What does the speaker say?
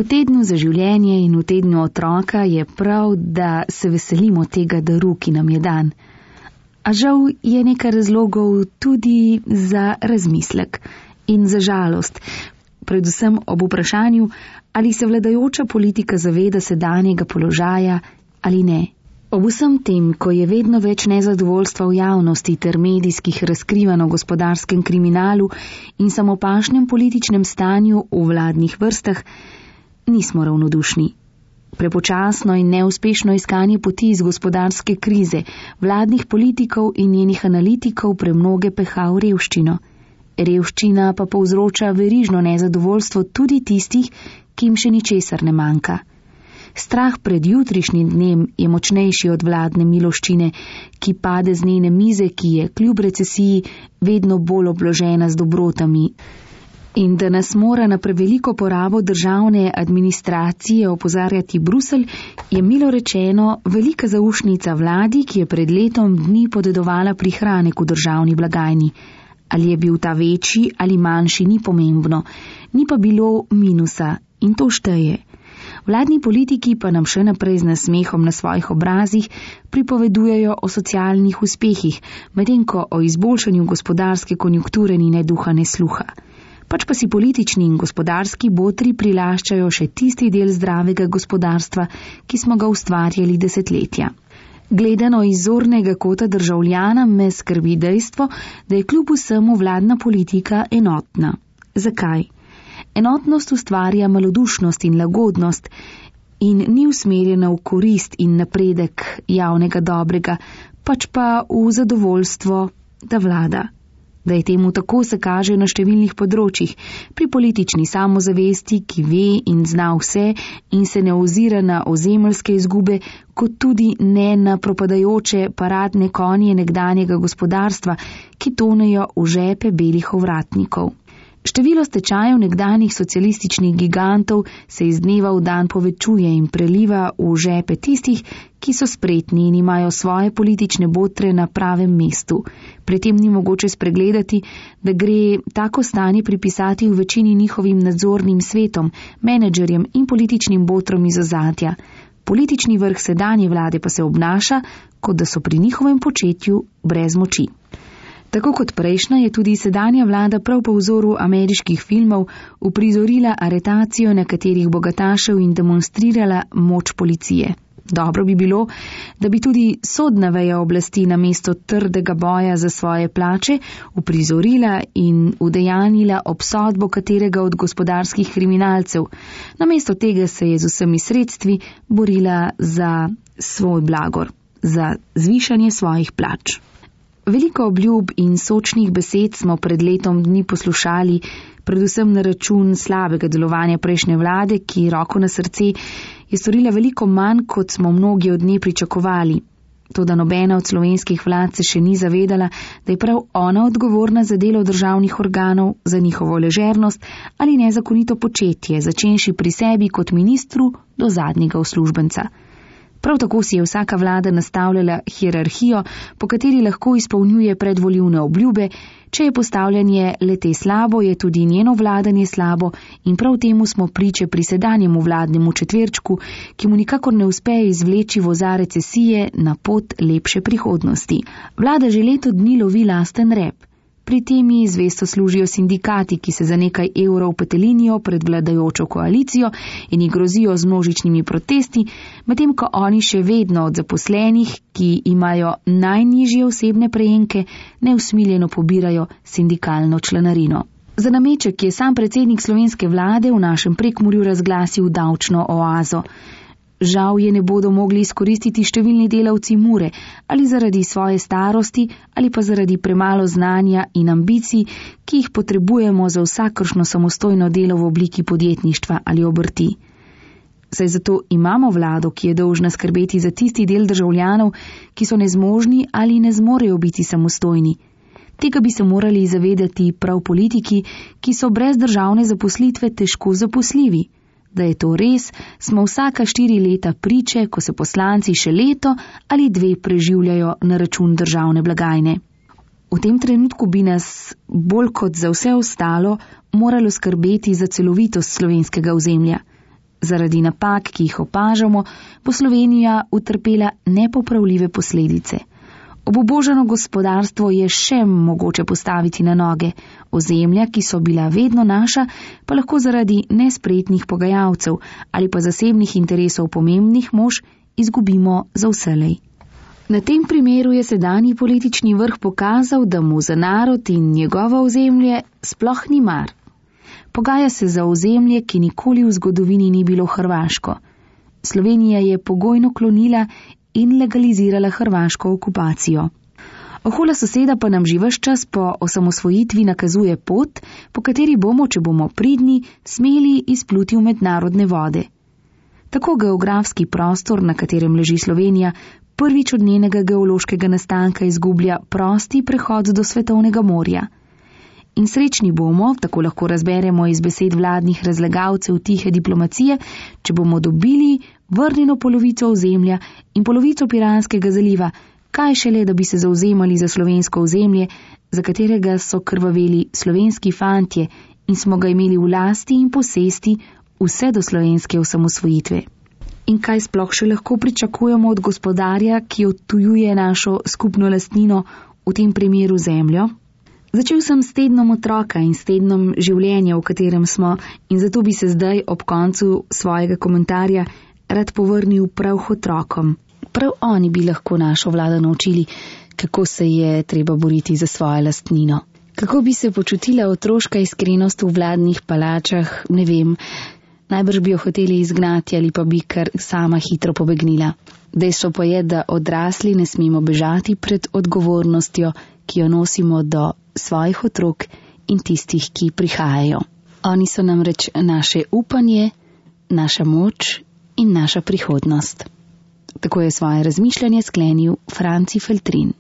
V tednu za življenje in v tednu otroka je prav, da se veselimo tega daru, ki nam je dan. A žal je nekaj razlogov tudi za razmislek in za žalost, predvsem ob vprašanju, ali se vladajoča politika zaveda sedanjega položaja ali ne. Ob vsem tem, ko je vedno več nezadovoljstva v javnosti ter medijskih razkrivanj o gospodarskem kriminalu in samopašnem političnem stanju v vladnih vrstah, nismo ravnodušni. Prepočasno in neuspešno iskanje poti iz gospodarske krize vladnih politikov in njenih analitikov premnoge peha v revščino. Revščina pa povzroča verižno nezadovoljstvo tudi tistih, ki jim še ničesar ne manjka. Strah pred jutrišnjim dnem je močnejši od vladne miloščine, ki pade z njene mize, ki je kljub recesiji vedno bolj obložena z dobrotami. In da nas mora na preveliko porabo državne administracije opozarjati Bruselj, je milo rečeno velika zaušnica vladi, ki je pred letom dni podedovala prihranek v državni blagajni. Ali je bil ta večji ali manjši, ni pomembno, ni pa bilo minusa in to šteje. Vladni politiki pa nam še naprej z nasmehom na svojih obrazih pripovedujejo o socialnih uspehih, medtem ko o izboljšanju gospodarske konjunkture ni ne duha ne sluha. Pač pa si politični in gospodarski botri prilaščajo še tisti del zdravega gospodarstva, ki smo ga ustvarjali desetletja. Gledano iz zornega kota državljana me skrbi dejstvo, da je kljub vsemu vladna politika enotna. Zakaj? Enotnost ustvarja malodušnost in lagodnost in ni usmerjena v korist in napredek javnega dobrega, pač pa v zadovoljstvo, da vlada. Da je temu tako, se kaže na številnih področjih, pri politični samozavesti, ki ve in zna vse in se ne ozira na ozemeljske izgube, kot tudi ne na propadajoče paradne konje nekdanjega gospodarstva, ki tonejo v žepe belih ovratnikov. Število stečajev nekdanjih socialističnih gigantov se iz dneva v dan povečuje in preliva v žepe tistih, ki so spretni in imajo svoje politične botre na pravem mestu. Pri tem ni mogoče spregledati, da gre tako stanje pripisati v večini njihovim nadzornim svetom, menedžerjem in političnim botrom iz ozadja. Politični vrh sedanje vlade pa se obnaša, kot da so pri njihovem početju brez moči. Tako kot prejšnja je tudi sedanja vlada prav po vzoru ameriških filmov uprizorila aretacijo nekaterih bogatašev in demonstrirala moč policije. Dobro bi bilo, da bi tudi sodna veja oblasti namesto trdega boja za svoje plače uprizorila in udejanila obsodbo katerega od gospodarskih kriminalcev. Namesto tega se je z vsemi sredstvi borila za svoj blagor, za zvišanje svojih plač. Veliko obljub in sočnih besed smo pred letom dni poslušali, predvsem na račun slabega delovanja prejšnje vlade, ki roko na srce je storila veliko manj, kot smo mnogi od nje pričakovali. Toda nobena od slovenskih vlad se še ni zavedala, da je prav ona odgovorna za delo državnih organov, za njihovo ležernost ali nezakonito početje, začenši pri sebi kot ministru do zadnjega uslužbenca. Prav tako si je vsaka vlada nastavljala hierarhijo, po kateri lahko izpolnjuje predvolilne obljube, če je postavljanje le-te slabo, je tudi njeno vladanje slabo in prav temu smo priče pri sedanjemu vladnemu četverčku, ki mu nikakor ne uspe izvleči voza recesije na pot lepše prihodnosti. Vlada že leto dni lovi lasten rep. Pri tem ji zvesto služijo sindikati, ki se za nekaj evrov petelinijo pred vladajočo koalicijo in ji grozijo z množičnimi protesti, medtem ko oni še vedno od zaposlenih, ki imajo najnižje osebne prejemke, neusmiljeno pobirajo sindikalno članarino. Za nameček je sam predsednik slovenske vlade v našem Prekmurju razglasil davčno oazo. Žal je ne bodo mogli izkoristiti številni delavci Mure, ali zaradi svoje starosti, ali pa zaradi premalo znanja in ambicij, ki jih potrebujemo za vsakršno samostojno delo v obliki podjetništva ali obrti. Saj zato imamo vlado, ki je dolžna skrbeti za tisti del državljanov, ki so nezmožni ali ne zmorejo biti samostojni. Tega bi se morali zavedati prav politiki, ki so brez državne zaposlitve težko zaposljivi. Da je to res, smo vsaka 4 leta priče, ko se poslanci še leto ali 2 preživljajo na račun državne blagajne. V tem trenutku bi nas, bolj kot za vse ostalo, moralo skrbeti za celovitost slovenskega ozemlja. Zaradi napak, ki jih opažamo, bo Slovenija utrpela nepopravljive posledice. Obubožano gospodarstvo je še mogoče postaviti na noge, ozemlja, ki so bila vedno naša, pa lahko zaradi nespretnih pogajalcev ali pa zasebnih interesov pomembnih mož izgubimo za vselej. Na tem primeru je sedanji politični vrh pokazal, da mu za narod in njegovo ozemlje sploh ni mar. Pogaja se za ozemlje, ki nikoli v zgodovini ni bilo hrvaško. Slovenija je pogojno klonila in legalizirala hrvaško okupacijo. Ohola soseda pa nam že ves čas po osamosvojitvi nakazuje pot, po kateri bomo, če bomo pridni, smeli izpluti v mednarodne vode. Tako geografski prostor, na katerem leži Slovenija, prvič od njenega geološkega nastanka izgublja prosti prehod do svetovnega morja. In srečni bomo, tako lahko razberemo iz besed vladnih razlagalcev tihe diplomacije, če bomo dobili vrnjeno polovico ozemlja in polovico Piranskega zaliva, kaj šele, da bi se zauzemali za slovensko ozemlje, za katerega so krvaveli slovenski fantje in smo ga imeli v lasti in posesti vse do slovenske osamosvojitve. In kaj sploh še lahko pričakujemo od gospodarja, ki odtujuje našo skupno lastnino, v tem primeru zemljo? Začel sem s tednom otroka in s tednom življenja, v katerem smo, in zato bi se zdaj ob koncu svojega komentarja rad povrnil prav k otrokom. Prav oni bi lahko našo vlado naučili, kako se je treba boriti za svojo lastnino. Kako bi se počutila otroška iskrenost v vladnih palačah, ne vem, najbrž bi jo hoteli izgnati ali pa bi kar sama hitro pobegnila. Dejstvo pa je, da odrasli ne smemo bežati pred odgovornostjo, ki jo nosimo do svojih otrok in tistih, ki prihajajo. Oni so namreč naše upanje, naša moč in naša prihodnost. Tako je svoje razmišljanje sklenil Franci Feltrin.